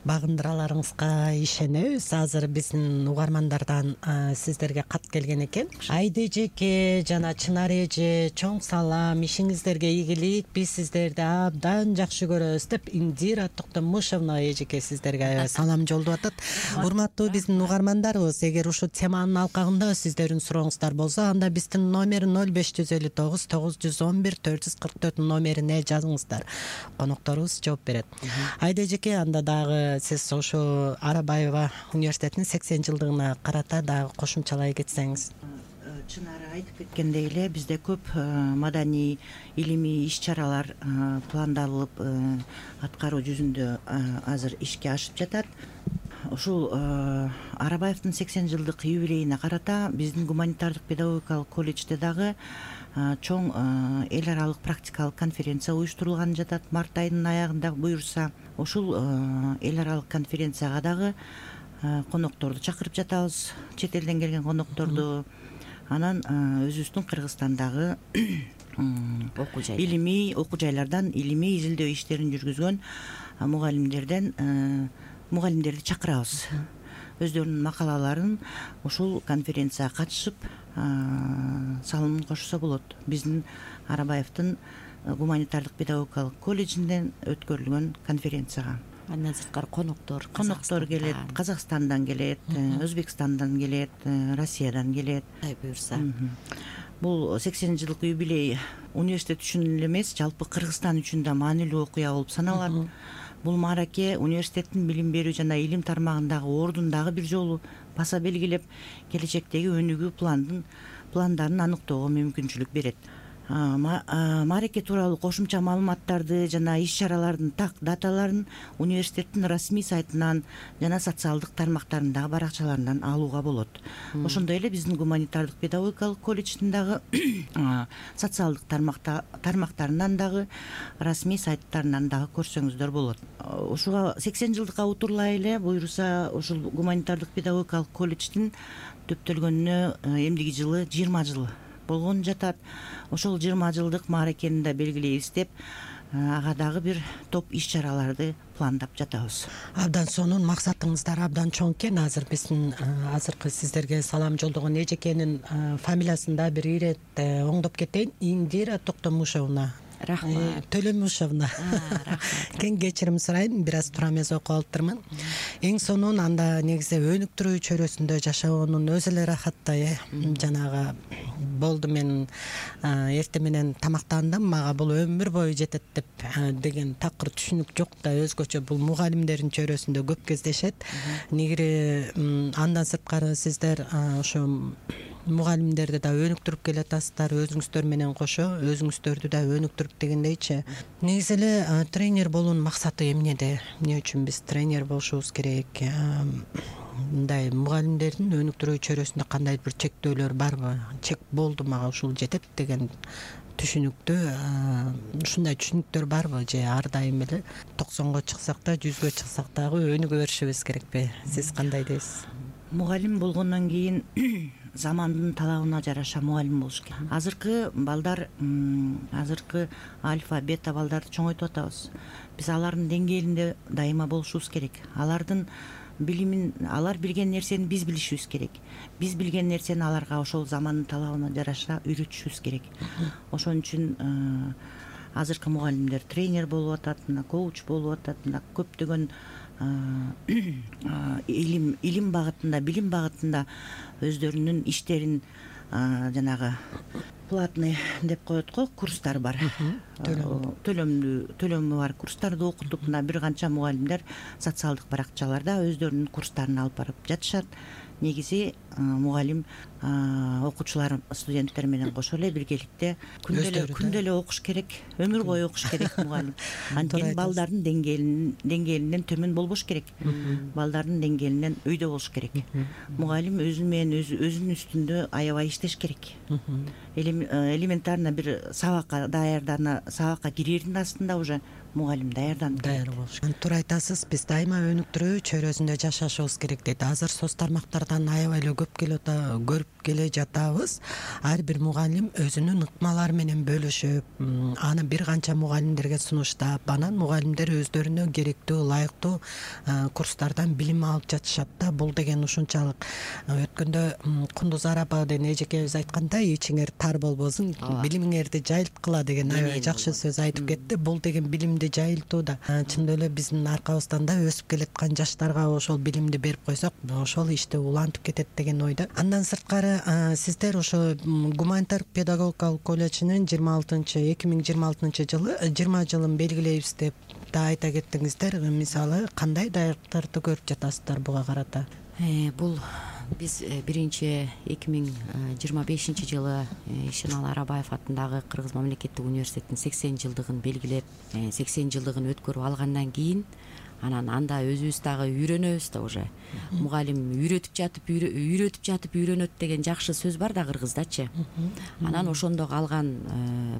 Speaker 2: багындыраларыңызга ишенебиз. Азыр биздин угармандардан сиздерге кат келген экен. Айда эжеке жана Чынар эже, чоң салам, ишиңиздерге ийгилик, биз сиздерди абдан жакшы көрөбүз деп Индира Токтомушевна эжеке сиздерге салам жолдоп атат. Урматтуу биздин угармандарыбыз, эгер ушул теманын алкагында сиздердин сурооңуздар болсо, анда биздин номер 0559 911 444 номерине жазыңыздар. Конокторубуз жооп берет. Айда эжеке, анда дагы сиз ошо Арабаева университетинин 80 жылдыгына карата дагы кошумчалай кетсеңиз.
Speaker 3: Чынары айтып кеткендей эле, бизде көп маданий, илимий иш-чаралар пландалып, аткаруу жүзүндө азыр ишке ашып жатат. Ушул Арабаевдин 80 жылдык юбилейине карата биздин гуманитардык педагогикалык колледжде дагы чоң эл аралык практикалык конференция уюштурулган жатат. Март айынын аягында буюрса, ушул эл аралык конференцияга дагы конокторду чакырып жатабыз, чет элден келген конокторду. Анан өзүбүздүн Кыргызстандагы илимий окуу жайлардан илимий изилдөө иштерин жүргүзгөн мугалимдерди чакырабыз. Өздөрүнүн макалаларын ушул конференцияга катышып салымын кошсо болот. Биздин Арабаевдин гуманитардык педагогикалык колледжинден өткөрүлгөн конференцияга.
Speaker 4: Андан сырткары коноктор
Speaker 3: келет, Казакстандан келет, Өзбекстандан келет, Россиядан келет.
Speaker 4: Кудай буюрса.
Speaker 3: Бул 80 жылдык юбилей университет үчүн эле эмес, жалпы Кыргызстан үчүн да маанилүү окуя болуп саналат. Бул маараке университеттин билим берүү жана илим тармагындагы ордун дагы бир жолу баса белгилеп, келечектеги өнүгүү пландарын аныктоого мүмкүнчүлүк берет. Маараке тууралуу кошумча маалыматтарды жана иш-чаралардын так даталарын университеттин расмий сайтынан жана социалдык тармактарындагы баракчаларынан алууга болот. Ошондой эле биздин гуманитардык педагогикалык колледждин дагы социалдык тармактарынан дагы расмий сайттарынан дагы көрсөңүздөр болот. Ушуга 80 жылдыкка утурлай эле буюрса ушул гуманитардык педагогикалык колледждин төптөлгөнүнө эмдиги жылы 20 жыл болгон жатат. Ошол 20 жылдык мааракени да белгилейбиз деп ага дагы бир топ иш-чараларды пландап жатабыз.
Speaker 2: Абдан сонун, максатыңыздар абдан чоң экен. Азыр биздин азыркы сиздерге салам жолдогон эжекенин фамилиясын да бир ирет оңдоп кетейин. Индира Токтомушевна.
Speaker 4: Рахмат.
Speaker 2: Төлөмушевна. Кен кечирим сурайын, бир аз туура эмес окуп алыптырмын. Эң сонун анда негизи өнүктүрүү чөйрөсүндө жашоонун өзү эле рахаттай. Жанагы болду, мен эртең менен тамактандым, мага бул өмүр бою жетет деп деген такыр түшүнүк жок да, өзгөчө бул мугалимдердин чөйрөсүндө көп кездешет. Негири андан сырткары сиздер ошо мугалимдерди да өнүктүрүп келатасыздар, өзүңүздөр менен кошо өзүңүздөрдү да өнүктүрүп дегендейчи. Негизи эле тренер болуунун максаты эмнеде? Эмне үчүн биз тренер болушубуз керек? Мындай мугалимдердин өнүктүрүү чөйрөсүндө кандай бир чектөөлөр барбы? Чек болду, мага ушул жетет деген түшүнүктүү, ушундай түшүнүктөр барбы? Же ар дайым эле 90го чыксак да 100гө чыксак дагы өнүгө беришибиз керекпи? Сиз кандай дейсиз?
Speaker 3: Мугалим болгондон кийин замандын талабына жараша мугалим болуш керек. Азыркы балдар, азыркы альфа, бета балдарды чоңойтуп атабыз. Биз алардын деңгээлинде дайыма болушубуз керек. Алардын билимин, алар билген нерсени биз билишибиз керек. Биз билген нерсени аларга ошол замандын талабына жараша үйрөтүшүбүз керек. Ошон үчүн азыркы мугалимдер тренер болуп атат, коуч болуп атат, көптөгөн илим багытында, билим багытында өздөрүнүн иштерин жанагы платный деп коет го, курстар бар. төлөмү бар курстарда окутуп, мына бир канча мугалимдер социалдык баракчаларда өздөрүнүн курстарын алып барып жатышат. Негизи мугалим окуучулар, студенттер менен кошо эле биргеликте күндө эле окуш керек, өмүр бою окуш керек мугалим. Анткени балдардын деңгээлинен төмөн болбош керек. Балдардын деңгээлинен өйдө болуш керек. Мугалим өзүнүн үстүндө аябай иштеш керек. Элементарно бир сабакка кирердин астында уже мугалим даярданып
Speaker 2: болуш керек. Туура айтасыз. Биз дайыма өнүктүрүү чөйрөсүндө жашашыбыз керек дейт. Азыр соц тармактардан аябай эле көрүп келе жатабыз. Ар бир мугалим өзүнүн ыкмалары менен бөлүшүп, аны бир канча мугалимдерге сунуштап, анан мугалимдер өздөрүнө керектүү, ылайыктуу курстардан билим алып жатышат да. Бул деген ушунчалык өткөндө Кундузара апа деген эжекебиз айткандай, ичиңер тар болбосун, билимиңерди жайылткыла деген аябай жакшы сөз айтып кетти. Бул деген билимди жайылтуу да чындап эле биздин аркабыздан да өсүп келаткан жаштарга ошол билимди берип койсок, ошол ишти улантып кетет деген ойдо. Андан сырткары сиздер ошо гуманитардык педагогикалык колледжинин 2026 жылы 20 жылын белгилейбиз деп да айта кеттиңиздер. Мисалы кандай даярдыктарды көрүп жатасыздар буга карата?
Speaker 4: Бул биз биринчи 2025 жылы Ишеналы Арабаев атындагы Кыргыз мамлекеттик университетинин 80 жылдыгын белгилеп, 80 жылдыгын өткөрүп алгандан кийин анан анда өзүбүз дагы үйрөнөбүз да уже. Мугалим үйрөтүп жатып үйрөнөт деген жакшы сөз бар да кыргыздачы. Анан ошондо алган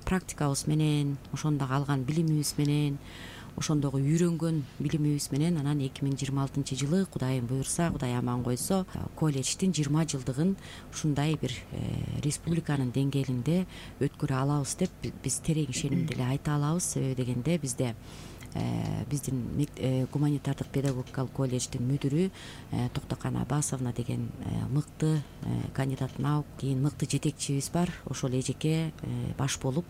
Speaker 4: практикабыз менен, ошондо алган билимибиз менен, ошондогу үйрөнгөн билимибиз менен анан 2026 жылы Кудайым буйрса, Кудай аман койсо, колледждин 20 жылдыгын ушундай бир республиканын деңгээлинде өткөрө алабыз деп биз терең ишенимде эле айта алабыз. Себеби дегенде биздин гуманитардык педагогикалык колледждин мүдүрү Токтокан Абасовна деген мыкты кандидат наук, кийин мыкты жетекчибиз бар. Ошол эжеке баш болуп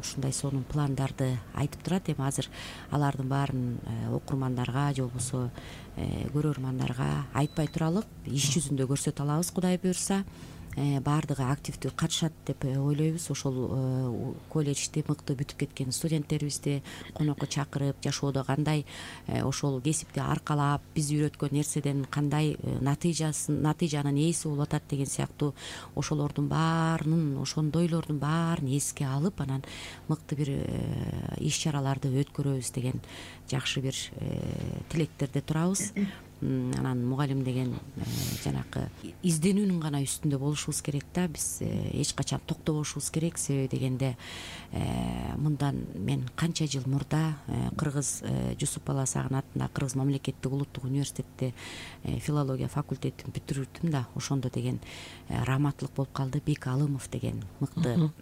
Speaker 4: ушундай сонун пландарды айтып турат. Эми азыр алардын баарын окурмандарга же болбосо көрөрмандарга айтпай туралык, иш жүзүндө көрсөтө алабыз Кудай буйрса. Баардыгы активдүү катышат деп ойлойбуз. Ошол колледжди мыкты бүтүп кеткен студенттерибизди конокко чакырып, жашоодо кандай ошол кесипти аркалап, биз үйрөткөн нерседен кандай натыйжанын ээси болуп атат деген сыяктуу ошолордун баарынын, ошондойлордун баарын эске алып, анан мыкты бир иш чараларды өткөрөбүз деген жакшы бир тилектерде турабыз. Анан мугалим деген жанакы изденүүнүн гана үстүндө болушубуз керек да. Биз эч качан токтобошубуз керек. Себеби дегенде мындан мен канча жыл мурда Кыргыз Жусуп Баласагын атындагы Кыргыз мамлекеттик улуттук университетте филология факультетин бүтүрдүм да. Ошондо деген раматтылык болуп калды. Бек Алымов деген мыкты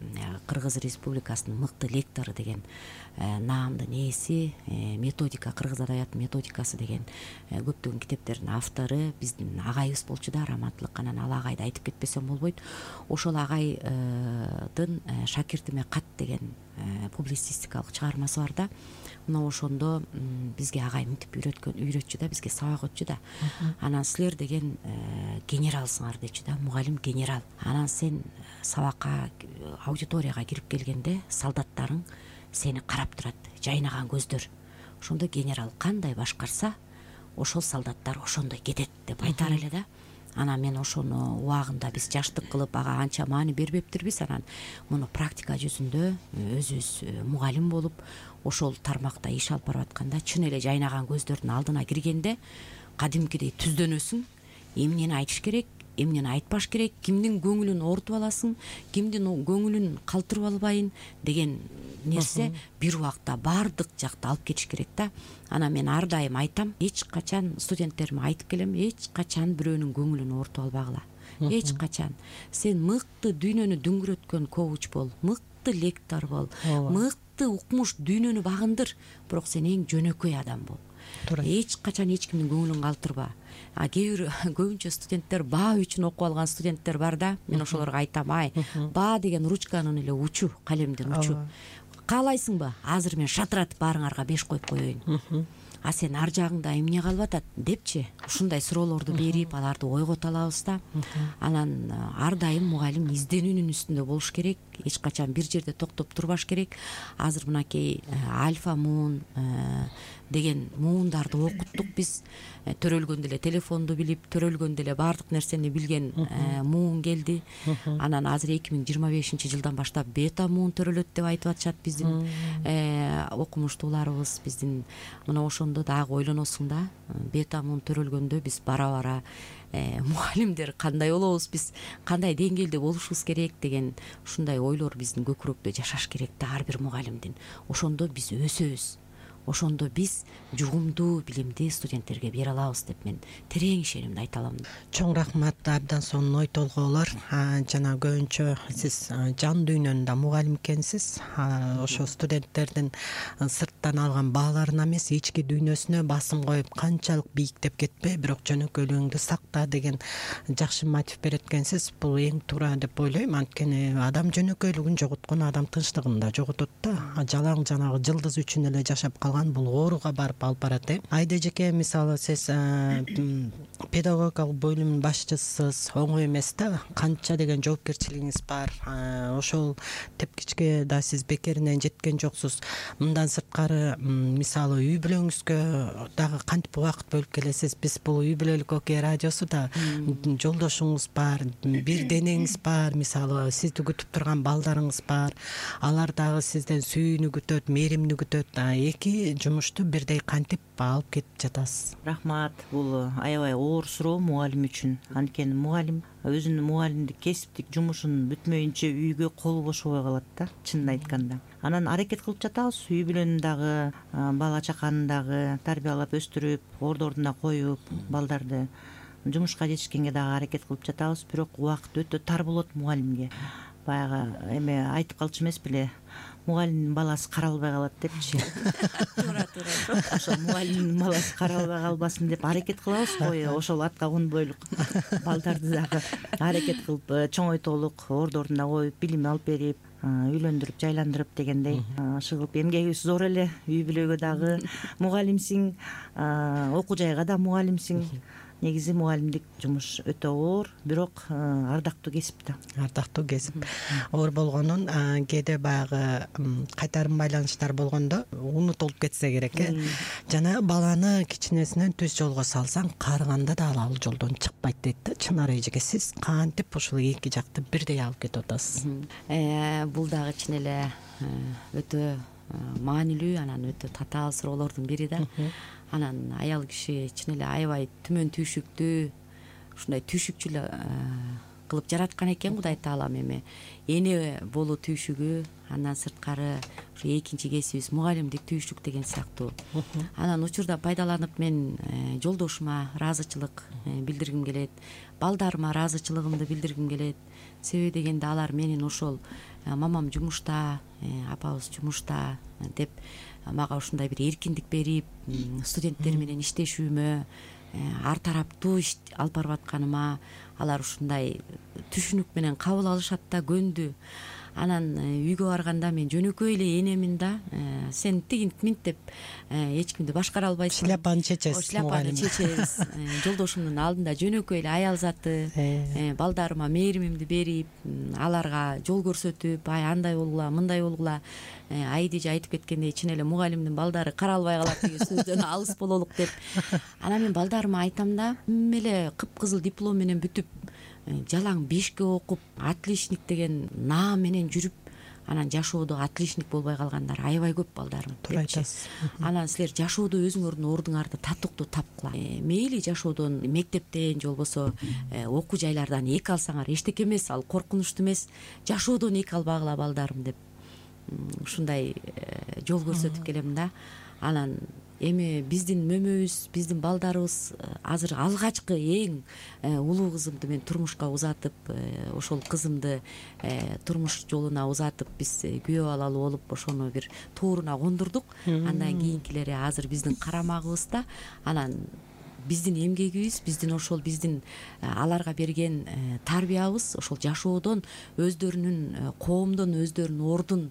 Speaker 4: Кыргыз Республикасынын мыкты лектору деген наамдын ээси, методика, кыргыз адабиятынын методикасы деген көптөгөн китептердин автору биздин агайыбыз болчу да, раматтылык. Анан ал агайды айтып кетпесем болбойт. Ошол агайдын Шакиртиме кат деген публицистикалык чыгармасы бар да. Мына ошондо бизге агай мынтип үйрөтчү да, бизге сабак өтчү да. Анан силер деген генералсыңар дечү да, мугалим генерал. Анан сен сабакка, аудиторияга кирип келгенде солдаттарың сени карап турат, жайнаган көздөр. Ошондо генерал кандай башкарса, ошол солдаттар ошондой кетет деп айтар эле да. Анан мен ошону убагында биз жаштык кылып ага анча маани бербептирбиз. Анан муну практика жүзүндө өзүбүз мугалим болуп ошол тармакта иш алып барып атканда чын эле жайнаган көздөрдүн алдына киргенде кадимкидей түздөнөсүң. Эмнени айтыш керек, эмнени айтпаш керек, кимдин көңүлүн оорутуп аласың, кимдин көңүлүн калтырып албайын деген нерсе бир убакта баардык жакта алып кетиш керек да. Анан мен ар дайым айтам, эч качан студенттериме айтып келем, эч качан бирөөнүн көңүлүн оорутуп албагыла. Эч качан. Сен мыкты дүйнөнү дүңгүрөткөн коуч бол, мыкты лектор бол, мыкты укмуш дүйнөнү багындыр, бирок сен эң жөнөкөй адам бол. Эч качан эч кимдин көңүлүн калтырба. Көбүнчө студенттер баа үчүн окуп алган студенттер бар да. Мен ошолорго айтам, баа деген ручканын эле учу, калемдин учу. Каалайсыңбы? Азыр мен шатыратып баарыңарга 5 коюп коеюн. А сен ар жагыңда эмне калып атат депчи, ушундай суроолорду берип аларды ойгото алабыз да. Анан ар дайым мугалим изденүүнүн үстүндө болуш керек, эч качан бир жерде токтоп турбаш керек. Азыр мынакей альфа муун деген муундарды окуттук биз. Төрөлгөндө эле телефонду билип, төрөлгөндө эле баардык нерсени билген муун келди. Анан азыр 2025-жылдан баштап бета муун төрөлөт деп айтып атышат биздин окумуштууларыбыз. Биздин мына ошондо дагы ойлоносуң да, бета муун төрөлгөндө биз бара-бара мугалимдер кандай болобуз, биз кандай деңгээлде болушубуз керек деген ушундай ойлор биздин көкүрөктө жашаш керек да ар бир мугалимдин. Ошондо биз өсөбүз. Ошондо биз жугумдуу билимди студенттерге бере алабыз деп мен терең ишенимди айта алам.
Speaker 2: Чоң рахмат, абдан сонун ой толгоолор. Жана көбүнчө сиз жан дүйнөнүн мугалим экенсиз. Ошо студенттердин сырттан алган бааларына эмес, ички дүйнөсүнө басым коюп, канчалык бийиктеп кетпе, бирок жөнөкөйлүгүңдү сакта деген жакшы мотив берет экенсиз. Бул эң туура деп ойлойм. Анткени адам жөнөкөйлүгүн жоготкон адам тынчтыгын да жоготот да. Жалаң жанагы жылдыз үчүн эле жашап калган бул ооруга барып алып барат. Айда эжеке, мисалы сиз педагогикалык бөлүмүнүн башчысысыз, оңой эмес да. Канча деген жоопкерчилигиңиз бар. Ошол тепкичке да сиз бекеринен жеткен жоксуз. Мындан сырткары, мисалы үй бүлөңүзгө дагы кантип убакыт бөлүп келесиз? Биз бул үй бүлөлүк окей радиосу да жолдошуңуз бар, бир денеңиз бар, мисалы сизди күтүп турган балдарыңыз бар. Алар дагы сизден сүйүүнү күтөт, мээримди күтөт. Эки жумушту бирдей кантип алып кетип жатасыз?
Speaker 3: Рахмат. Бул аябай оор суроо мугалим үчүн. Анткени мугалим өзүнүн мугалимдик кесиптик жумушун бүтмөйүнчө үйгө колу бошобой калат да, чынын айтканда. Анан аракет кылып жатабыз, үй бүлөнүн дагы, бала чаканын дагы тарбиялап өстүрүп, ордуна коюп, балдарды жумушка жетишкенге дагы аракет кылып жатабыз. Бирок убакыт өтө тар болот мугалимге. Баягы эме айтып калчу эмес беле, мугалимдин баласы каралбай калат депчи.
Speaker 4: Туура.
Speaker 3: Ошо мугалимдин баласы каралбай калбасын деп аракет кылабыз го. Ошол атка конбойлук балдарды дагы аракет кылып чоңойтолук ордуна коюп, билим алып берип, үйлөндүрүп, жайландырып дегендей. Ошол эмгегибиз зор эле. Үй бүлөгө дагы мугалимсиң, окуу жайга да мугалимсиң. Негизи мугалимдик жумуш өтө оор, бирок ардактуу кесип да.
Speaker 2: Ардактуу кесип. Оор болгонун кээде баягы кайтарым байланыштар болгондо унутулуп кетсе керек. Жана баланы кичинесинен түз жолго салсаң, карыганда да ал жолдон чыкпайт дейт да. Чынар эжеке, сиз кантип ушул эки жакты бирдей алып кетип атасыз?
Speaker 4: Бул дагы чын эле өтө маанилүү, анан өтө татаал суроолордун бири да. Анан аял киши чын эле аябай түмөн түйшүктүү, ушундай түйшүкчү кылып жараткан экен Кудай таалам. Эми эне болуу түйшүгү, андан сырткары ушу экинчи кесибибиз мугалимдик түйшүк деген сыяктуу. Анан учурда пайдаланып мен жолдошума ыраазычылык билдиргим келет, балдарыма ыраазычылыгымды билдиргим келет. Себеби дегенде алар менин ошол мамам жумушта, апабыз жумушта деп мага ушундай бир эркиндик берип, студенттер менен иштешүүмө, ар тараптуу иш алып барып атканыма алар ушундай түшүнүк менен кабыл алышат да, көндү. Анан үйгө барганда мен жөнөкөй эле энемин да, сен тигинт минт деп эч кимди башкара албайсың.
Speaker 2: Шляпаны чечесиз.
Speaker 4: Шляпаны чечебиз. Жолдошумдун алдында жөнөкөй эле аял заты, балдарыма мээримимди берип, аларга жол көрсөтүп, андай болгула, мындай болгула. Айдыжы айтып кеткендей, чын эле мугалимдин балдары каралбай калат деген сөздөн алыс бололук деп. Анан мен балдарыма айтам да, эле кыпкызыл диплом менен бүтүп, жалаң 5ке окуп, отличник деген наам менен жүрүп, анан жашоодо отличник болбой калгандар аябай көп балдарым.
Speaker 2: Туура айтасыз.
Speaker 4: Анан силер жашоодо өзүңөрдүн ордуңарды татыктуу тапкыла. Мейли жашоодон, мектептен же болбосо окуу жайлардан эки алсаңар эчтеке эмес, ал коркунучтуу эмес. Жашоодон эки албагыла балдарым деп ушундай жол көрсөтүп келем да. Анан эми биздин мөмөбүз, биздин балдарыбыз азыр алгачкы эң улуу кызымды мен турмушка узатып, ошол кызымды турмуш жолуна узатып биз күйөө алалы болуп ошону бир тууруна кондурдук. Андан кийинкилери азыр биздин карамагыбызда. Анан биздин эмгегибиз, биздин ошол биздин аларга берген тарбиябыз ошол жашоодон өздөрүнүн коомдон өздөрүнүн ордун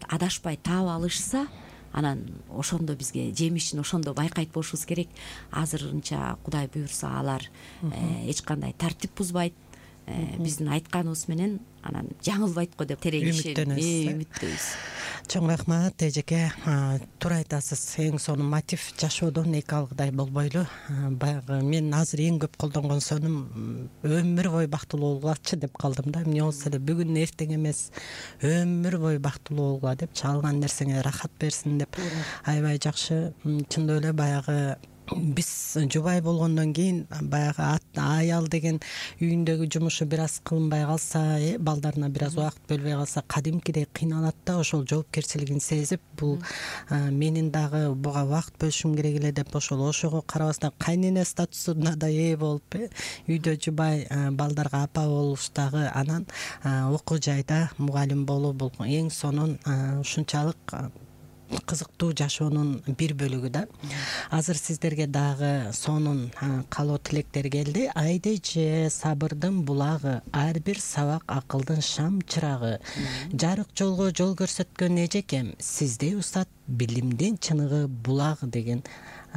Speaker 4: адашпай таап алышса, анан ошондо бизге жемишин ошондо байкайт болушубуз керек. Азырынча Кудай буюрса алар эч кандай тартип бузбайт, биздин айтканыбыз менен анан жаңылбайт го деп терең үмүттөбүз.
Speaker 2: Чоң рахмат эжеке. Туура айтасыз. Эң сонун мотив жашоодон эки алгыдай болбойлу. Баягы мен азыр эң көп колдонгон сонум өмүр бою бактылуу болгулачы деп калдым да. Эмне болсо эле бүгүн эртең эмес, өмүр бою бактылуу болгула деп, чалган нерсеңе рахат берсин деп. Аябай жакшы. Чындап эле баягы биз жубай болгондон кийин баягы аял деген үйүндөгү жумушу бир аз кылынбай калса, балдарына бир аз убакыт бөлбөй калса кадимкидей кыйналат да. Ошол жоопкерчилигин сезип, бул менин дагы буга убакыт бөлүшүм керек эле деп ошого карабастан кайнене статусуна да ээ болуп, үйдө жубай, балдарга апа болуш дагы, анан окуу жайда мугалим болуу бул эң сонун, ушунчалык кызыктуу жашоонун бир бөлүгү да. Азыр сиздерге дагы сонун каалоо тилектер келди. Айдеже сабырдын булагы, ар бир сабак акылдын шам чырагы, жарык жолго жол көрсөткөн эжекем, сизде усат билимдин чыныгы булагы деген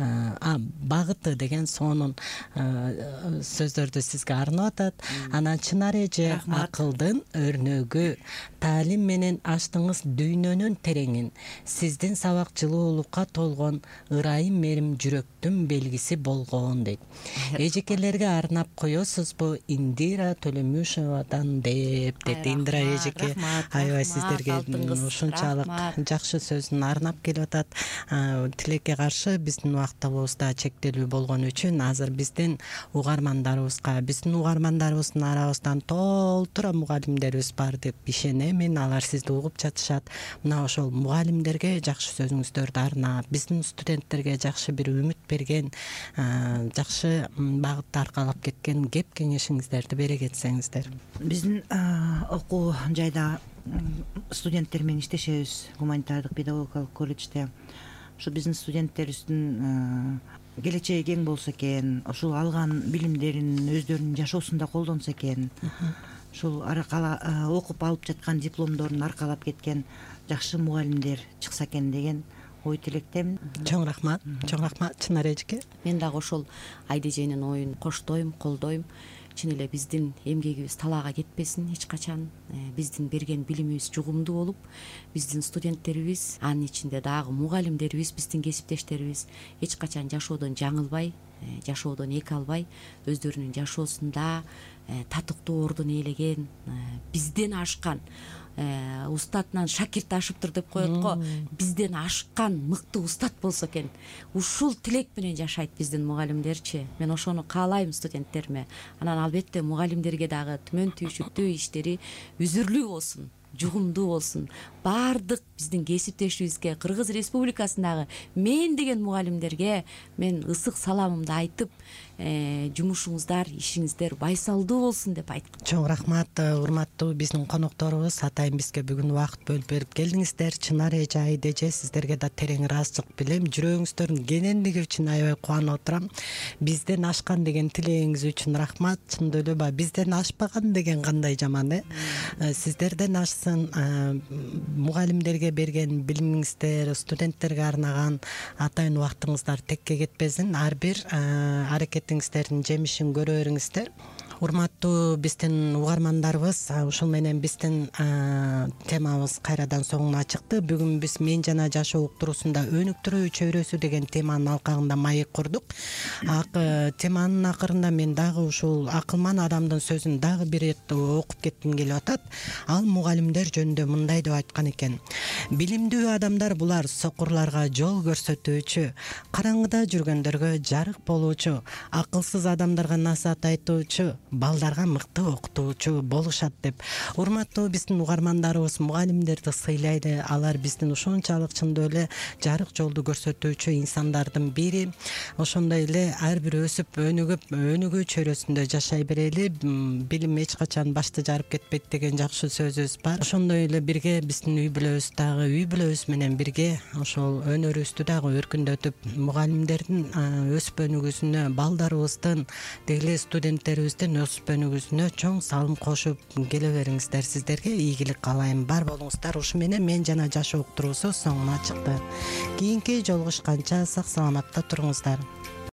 Speaker 2: багыты деген сонун сөздөрдү сизге арнап атат. Анан Чынар эже акылдын өрнөгү, таалим менен ачтыңыз дүйнөнүн тереңин, сиздин сабак жылуулукка толгон, ырайым мерим жүрөктүн белгиси болгон дейт. Эжекелерге арнап коесузбу Индира Төлөмүшевадан деп дейт. Индира эжеке аябай сиздерге ушунчалык жакшы сөзүн арнап келип атат. Тилекке каршы биздин убактыбыз да чектелүү болгон үчүн азыр биздин угармандарыбыздын арабыздан толтура мугалимдерибиз бар деп ишенемин. Алар сизди угуп жатышат. Мына ошол мугалимдерге жакшы сөзүңүздөрдү арнап, биздин студенттерге жакшы бир үмүт берген, жакшы багытты аркалап кеткен кеп кеңешиңиздерди бере кетсеңиздер.
Speaker 3: Биздин окуу жайда студенттер менен иштешебиз, гуманитардык педагогикалык колледжде. Ушу биздин студенттерибиздин келечеги кең болсо экен, ушул алган билимдерин өздөрүнүн жашоосунда колдонсо экен, ушул окуп алып жаткан дипломдорун аркалап кеткен жакшы мугалимдер чыкса экен деген ой тилектемин.
Speaker 2: Чоң рахмат, чоң рахмат Чынар эжеке.
Speaker 4: Мен дагы ошол Айдеженин оюн коштойм, колдойм. Чын эле биздин эмгегибиз талаага кетпесин эч качан. Биздин берген билимибиз жугумдуу болуп, биздин студенттерибиз, анын ичинде дагы мугалимдерибиз, биздин кесиптештерибиз эч качан жашоодон жаңылбай, жашоодон эки албай, өздөрүнүн жашоосунда татыктуу ордун ээлеген, бизден ашкан, устатынан шакирт ашыптыр деп коет го, бизден ашкан мыкты устат болсо экен. Ушул тилек менен жашайт биздин мугалимдерчи. Мен ошону каалайм студенттериме. Анан албетте мугалимдерге дагы түмөн түйшүктүү иштери үзүрлүү болсун, жугумдуу болсун. Баардык биздин кесиптешибизге, Кыргыз Республикасындагы мен деген мугалимдерге мен ысык саламымды айтып, жумушуңуздар, ишиңиздер байсалдуу болсун деп айткым.
Speaker 2: Чоң рахмат, урматтуу биздин конокторубуз. Атайын бизге бүгүн убакыт бөлүп берип келдиңиздер. Чынар эже, Айдеже, сиздерге да терең ыраазычылык билем. Жүрөгүңүздөрдүн кенендиги үчүн аябай кубанып отурам. Бизден ашкан деген тилегиңиз үчүн рахмат. Чындап эле баягы бизден ашпаган деген кандай жаман, Сиздерден ашсын. Мугалимдерге берген билимиңиздер, студенттерге арнаган атайын убактыңыздар текке кетпесин. Ар бир аракетиңиздердин жемишин көрө бериңиздер. Урматтуу биздин угармандарыбыз, ушул менен биздин темабыз кайрадан соңуна чыкты. Бүгүн биз мен жана жашоо уктуруусунда өнүктүрүү чөйрөсү деген теманын алкагында маек курдук. Теманын акырында мен дагы ушул акылман адамдын сөзүн дагы бир ирет окуп кетким келип атат. Ал мугалимдер жөнүндө мындай деп айткан экен: билимдүү адамдар булар сокурларга жол көрсөтүүчү, караңгыда жүргөндөргө жарык болуучу, акылсыз адамдарга насаат айтуучу, балдарга мыкты окутуучу болушат деп. Урматтуу биздин угармандарыбыз мугалимдерди сыйлайды. Алар биздин ушунчалык чындап эле жарык жолду көрсөтүүчү инсандардын бири. Ошондой эле ар бир өсүп өнүгүү чөйрөсүндө жашай берели. Билим эч качан башты жарып кетпейт деген жакшы сөзүбүз бар. Ошондой эле бирге биздин үй бүлөбүз менен бирге ошол өнөрүбүздү дагы өркүндөтүп, мугалимдердин өсүп өнүгүүсүнө, балдарыбыздын, деги эле студенттерибиздин велосипедиңизге чоң салым кошуп келе бериңиздер. Сиздерге ийгилик каалайм. Бар болуңуздар. Ушу менен мен жана жашоо уктуруусу соңуна чыкты. Кийинки жолугушканча сак саламатта туруңуздар.